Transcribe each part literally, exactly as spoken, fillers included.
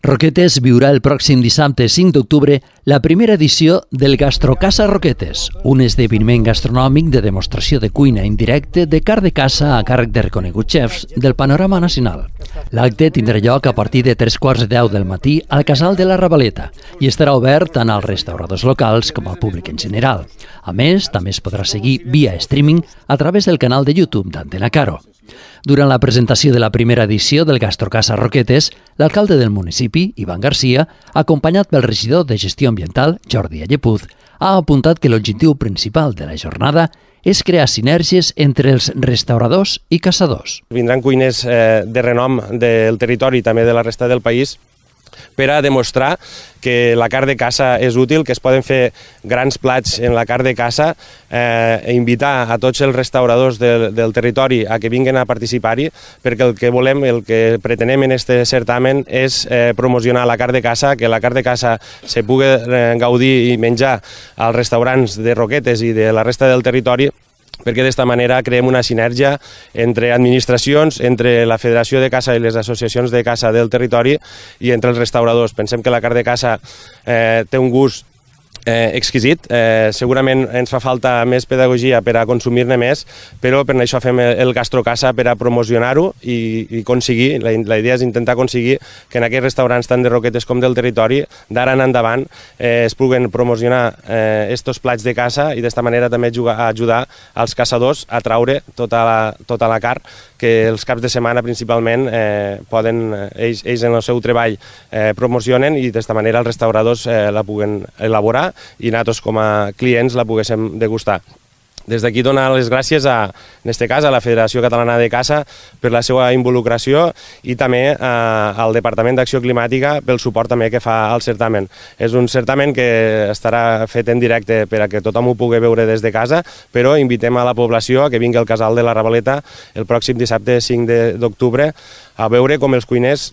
Roquetes viurà el pròxim dissabte cinc d'octubre la primera edició del Gastrocasa Roquetes, un esdeveniment gastronòmic de demostració de cuina en directe de carn de caça a càrrec de reconeguts xefs del panorama nacional. L'acte tindrà lloc a partir de tres quarts de deu del matí al Casal de la Ravaleta i estarà obert tant als restauradors locals com al públic en general. A més, també es podrà seguir via streaming a través del canal de YouTube d'Antena Caro. Durant la presentació de la primera edició del Gastrocasa Roquetes, l'alcalde del municipi, Ivan Garcia, acompanyat pel regidor de Gestió Ambiental, Jordi Allepuz, ha apuntat que l'objectiu principal de la jornada és crear sinergies entre els restauradors i caçadors. Vindran cuiners eh, de renom del territori i també de la resta del país per a demostrar que la carn de caça és útil, que es poden fer grans plats en la carn de caça, eh, i invitar a tots els restauradors del, del territori a que vinguin a participar-hi, perquè el que volem, el que pretenem en aquest certamen és eh, promocionar la carn de caça, que la carn de caça se pugui eh, gaudir i menjar als restaurants de Roquetes i de la resta del territori, perquè d'esta manera creem una sinergia entre administracions, entre la Federació de Caça i les associacions de caça del territori i entre els restauradors. Pensem que la carn de caça eh, té un gust Eh, exquisit. Eh, segurament ens fa falta més pedagogia per a consumir-ne més, però per això fem el Gastrocasa per a promocionar-ho i, i aconseguir, la, la idea és intentar aconseguir que en aquests restaurants tant de Roquetes com del territori d'ara en endavant eh, es puguen promocionar aquests eh, plats de caça i d'esta manera també jugar, ajudar als caçadors a traure tota la, tota la carn que els caps de setmana principalment eh, poden, ells, ells en el seu treball eh, promocionen i d'esta manera els restauradors eh, la puguen elaborar i nosaltres com a clients la poguéssim degustar. Des d'aquí donar les gràcies a, en aquest cas, a la Federació Catalana de Caça per la seva involucració i també a, al Departament d'Acció Climàtica pel suport també que fa al certamen. És un certamen que estarà fet en directe per a que tothom ho pugui veure des de casa, però invitem a la població a que vingui al Casal de la Ravaleta el pròxim dissabte cinc d'octubre a veure com els cuiners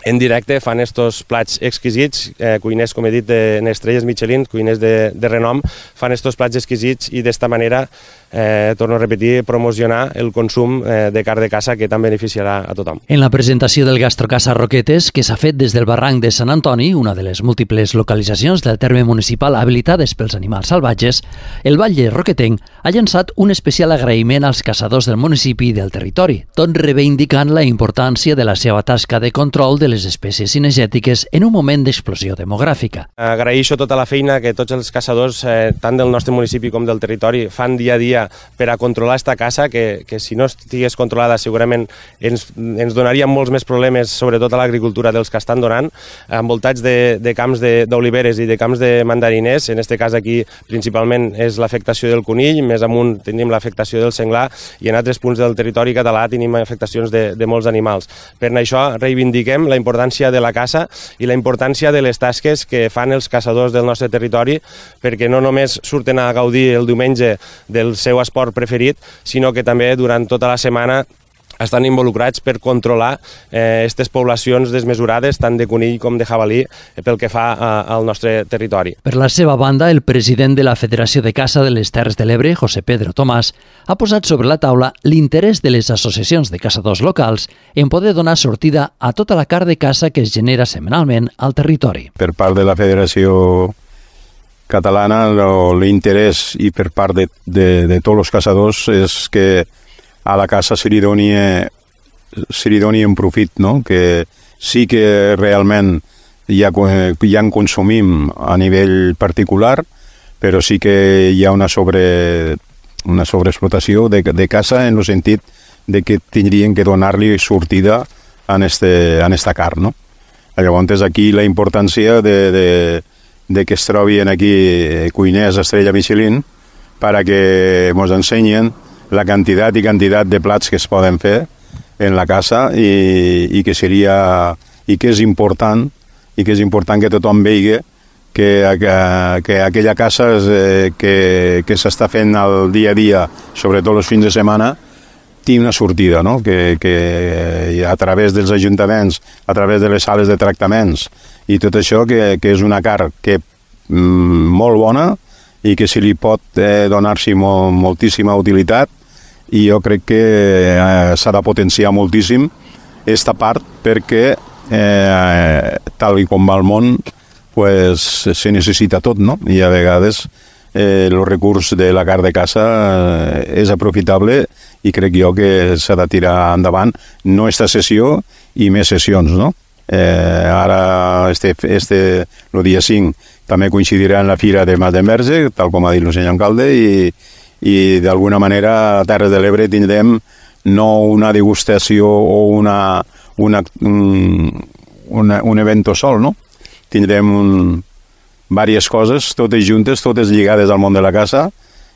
en directe fan estos plats exquisits, eh, cuiners, com he dit, de, en estrelles Michelin, cuiners de, de renom, fan estos plats exquisits i d'esta manera, eh, torno a repetir, promocionar el consum eh, de carn de caça que tant beneficiarà a tothom. En la presentació del Gastrocasa Roquetes, que s'ha fet des del barranc de Sant Antoni, una de les múltiples localitzacions del terme municipal habilitades pels animals salvatges, el Batlle Roquetenc ha llançat un especial agraïment als caçadors del municipi i del territori, tot reivindicant la importància de la seva tasca de control de les espècies cinegètiques en un moment d'explosió demogràfica. Agraeixo tota la feina que tots els caçadors, eh, tant del nostre municipi com del territori, fan dia a dia per a controlar esta caça, que, que si no estigués controlada segurament ens, ens donaria molts més problemes, sobretot a l'agricultura dels que estan donant, envoltats de, de camps d'oliveres i de camps de mandariners. En aquest cas aquí principalment és l'afectació del conill, més amunt tenim l'afectació del senglar i en altres punts del territori català tenim afectacions de, de molts animals. Per això reivindiquem la importància de la caça i la importància de les tasques que fan els caçadors del nostre territori, perquè no només surten a gaudir el diumenge del seu esport preferit, sinó que també durant tota la setmana estan involucrats per controlar aquestes eh, poblacions desmesurades, tant de conill com de jabalí, pel que fa a, al nostre territori. Per la seva banda, el president de la Federació de Caça de les Terres de l'Ebre, José Pedro Tomàs, ha posat sobre la taula l'interès de les associacions de caçadors locals en poder donar sortida a tota la carn de caça que es genera setmanalment al territori. Per part de la Federació Catalana, l'interès i per part de, de, de tots els caçadors és que a la caça se li doni, se li doni un profit, no? Que sí que realment ja, ja en consumim a nivell particular, però sí que hi ha una, sobre, una sobreexplotació de, de caça en el sentit de que tindrien que donar-li sortida en, este, en esta carn, no? Llavors aquí la importància de, de, de que es trobin aquí cuiners estrella Michelin per a que ens ensenyen la quantitat i quantitat de plats que es poden fer en la caça i, i que seria i que és important i que és important que tothom vegi que, que, que aquella caça és, eh, que, que s'està fent al dia a dia, sobretot els fins de setmana, té una sortida, no? que, que a través dels ajuntaments, a través de les sales de tractaments i tot això, que, que és una carn que mm, molt bona i que se li pot eh, donar-s'hi molt, moltíssima utilitat i jo crec que eh, s'ha de potenciar moltíssim aquesta part perquè eh, tal i com va el món, pues, se necessita tot, no? I a vegades eh, el recurs de la carn de caça eh, és aprofitable i crec jo que s'ha de tirar endavant, no esta sessió i més sessions, no? Eh, ara, este, este, el dia cinc, també coincidirà en la Fira de Mas d'Enverge, tal com ha dit el senyor alcalde, i, i d'alguna manera a Terres de l'Ebre tindrem no una degustació o una, una, un, una, un evento sol, no? Tindrem un, diverses coses, totes juntes, totes lligades al món de la caça,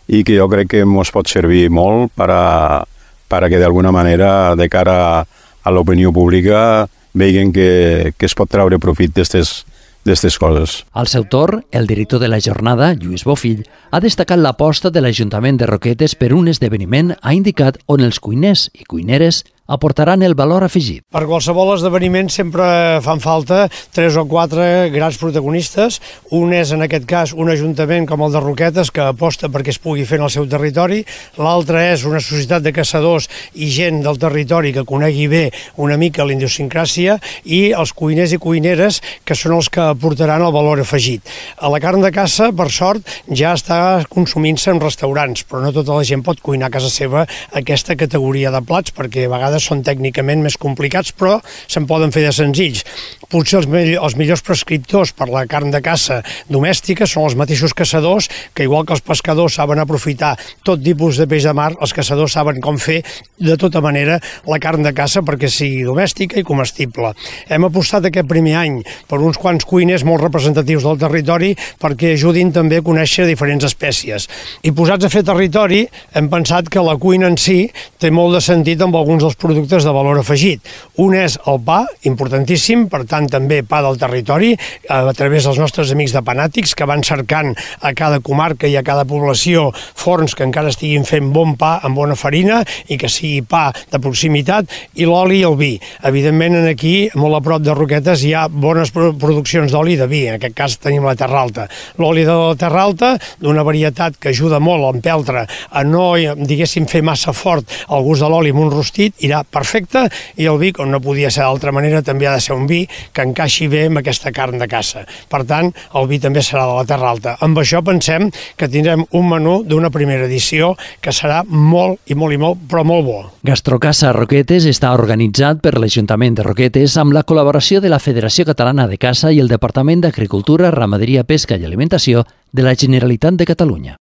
i que jo crec que ens pot servir molt per a, per a que d'alguna manera, de cara a, a l'opinió pública, vegin que, que es pot treure profit d'aquestes d'aquestes coses. Al seu torn, el director de la jornada, Lluís Bofill, ha destacat l'aposta de l'Ajuntament de Roquetes per un esdeveniment, ha indicat on els cuiners i cuineres aportaran el valor afegit. Per qualsevol esdeveniment sempre fan falta tres o quatre grans protagonistes. Un és, en aquest cas, un ajuntament com el de Roquetes, que aposta perquè es pugui fer en el seu territori. L'altre és una societat de caçadors i gent del territori que conegui bé una mica la idiosincràsia, i els cuiners i cuineres, que són els que aportaran el valor afegit. A la carn de caça, per sort, ja està consumint-se en restaurants, però no tota la gent pot cuinar a casa seva aquesta categoria de plats, perquè a vegades són tècnicament més complicats, però se'n poden fer de senzills. Potser els, me els millors prescriptors per la carn de caça domèstica són els mateixos caçadors, que igual que els pescadors saben aprofitar tot tipus de peix de mar, els caçadors saben com fer de tota manera la carn de caça perquè sigui domèstica i comestible. Hem apostat aquest primer any per uns quants cuiners molt representatius del territori perquè ajudin també a conèixer diferents espècies. I posats a fer territori, hem pensat que la cuina en si té molt de sentit amb alguns dels productes de valor afegit. Un és el pa, importantíssim, per tant també pa del territori, a través dels nostres amics de Panàtics, que van cercant a cada comarca i a cada població forns que encara estiguin fent bon pa amb bona farina i que sigui pa de proximitat, i l'oli i el vi. Evidentment, aquí, molt a prop de Roquetes, hi ha bones produccions d'oli i de vi. En aquest cas tenim la Terra Alta. L'oli de la Terra Alta, d'una varietat que ajuda molt l'empeltre a no, diguéssim, fer massa fort el gust de l'oli amb un rostit, irà perfecte, i el vi, com no podia ser d'altra manera, també ha de ser un vi que encaixi bé amb aquesta carn de caça. Per tant, el vi també serà de la Terra Alta. Amb això pensem que tindrem un menú d'una primera edició que serà molt i molt i molt, però molt bo. Gastrocaça Roquetes està organitzat per l'Ajuntament de Roquetes amb la col·laboració de la Federació Catalana de Caça i el Departament d'Agricultura, Ramaderia, Pesca i Alimentació de la Generalitat de Catalunya.